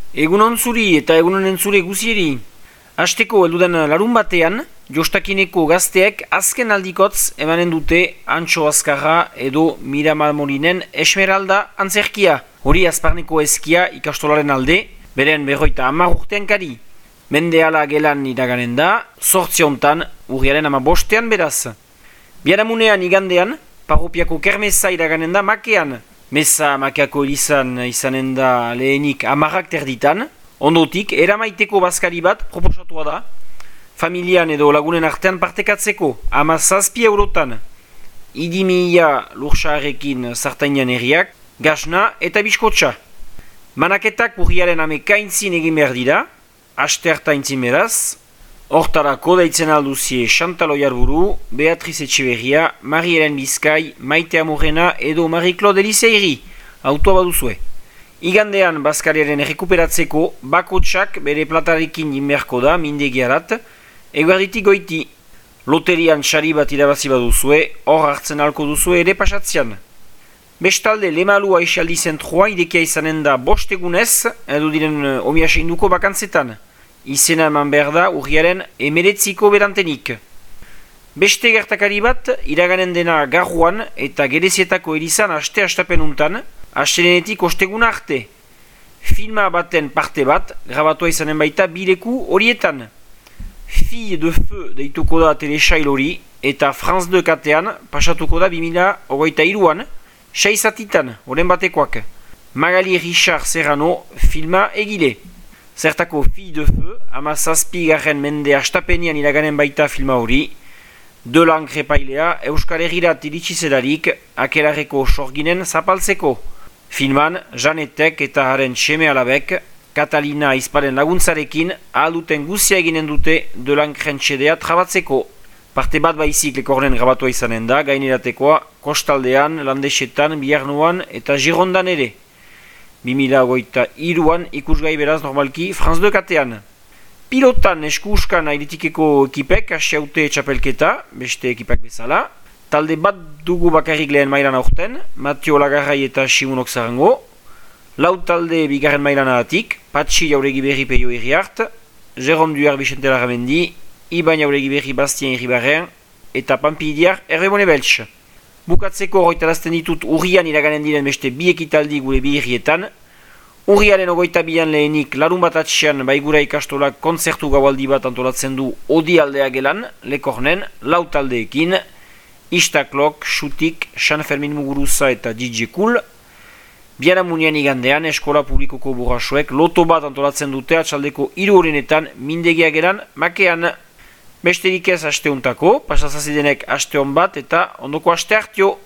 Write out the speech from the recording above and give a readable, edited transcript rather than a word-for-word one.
Egunon zuri eta egunon entzule guzieri. Asteko heldudan larun batean, Jostakineko gazteek azken aldikotz emanen dute Antxo Azkarra edo Miramar Molinen Esmeralda antzerkia. Hori azparneko eskia ikastolaren alde, beren 50 urtean kari. Mendeala gelan iraganen da, 8 hontan, urriaren 15 beraz. Biaramunean igandean, parropiako kermesa iraganen da makean. Mesa makeako izanen da lehenik 10 terditan, ondotik eramaiteko bazkari bat proposatua da, familian edo lagunen artean partekatzeko 17 eurotan. Idimia lursarekin sartainan herriak, gasna eta biskotxa. Manaketak urriaren 11 egin behar dira, asterta intzin beraz. Hortarako deitzen alduzie Chantal Oiarburu, Beatriz Etxeberria, Marie-Hélène Bizkai, Maite Amorena edo Marie-Claude Eliseiri, autoa baduzue. Igandean bazkariaren errekuperatzeko bakotsak bere platarekin inberko da mindegiarat, eguerditik goiti. Loterian sari bat irabazi baduzue, hor hartzen alko duzue ere pasatzean. Bestalde Lemalua Eixaldi zentroa idekia izanen da 5 egunez, edo diren omiaseinduko bakantzetan. Izena eman behar da urriaren 19 berantenik. Beste gertakari bat, iraganen dena Garruan eta Gerezietako erizan aste-astapenuntan, astelenetik osteguna arte. Filma baten parte bat, grabatua izanen baita bileku horietan. Fille de Feu deituko da telesail hori, eta France 2 katean pasatuko da 2023an, 6 atitan, horren batekoak. Magali Richard Serrano filma egile. Zertako Fille de Feu, 17. mende astapenian iraganen baita filma hori, Delang repailea Euskal Herrirat iritsi zelarik akelarreko sorginen zapaltzeko. Filman, Janetek eta haren seme alabek, Katalina Izparen laguntzarekin ahalduten guzia eginen dute Delang rentxedea trabatzeko. Parte bat baizik lekorren grabatua izanen da, gaineratekoa Kostaldean, Landesetan, Biarnuan eta Girondan ere. 2023an ikusgai beraz normalki France 2 katean. Pilotan esku-uskan airitikeko ekipek asiaute txapelketa, beste ekipak bezala. Talde bat dugu bakarrik lehen mailan aurten, Mateo Lagarrai eta Simunok Zarango. Lau talde bigarren mailan ahatik, Patxi Jauregi Berri Peio Herriart, Jérôme Duer Vicente Larramendi, Iban Jauregi Berri Bastien Herribarren, eta Pampidiar Errebone Beltx. Bukatzeko horretarazten ditut urrian iraganen diren beste bi ekitaldi gure bi hirrietan. Urriaren 22an lehenik larun bat atxean baigura ikastolak kontzertu gaualdi bat antolatzen du Odi aldea gelan, Lekornen, lau taldeekin, Istaklok, Xutik, San Fermin Muguruza eta DJ Cool. Biaramunean igandean eskola publikoko burrasuek loto bat antolatzen dute atxaldeko 3 horrenetan mindegia gelan makean. Besterik ez asteuntako, pasazazidenek aste hon bat eta ondoko aste hartio.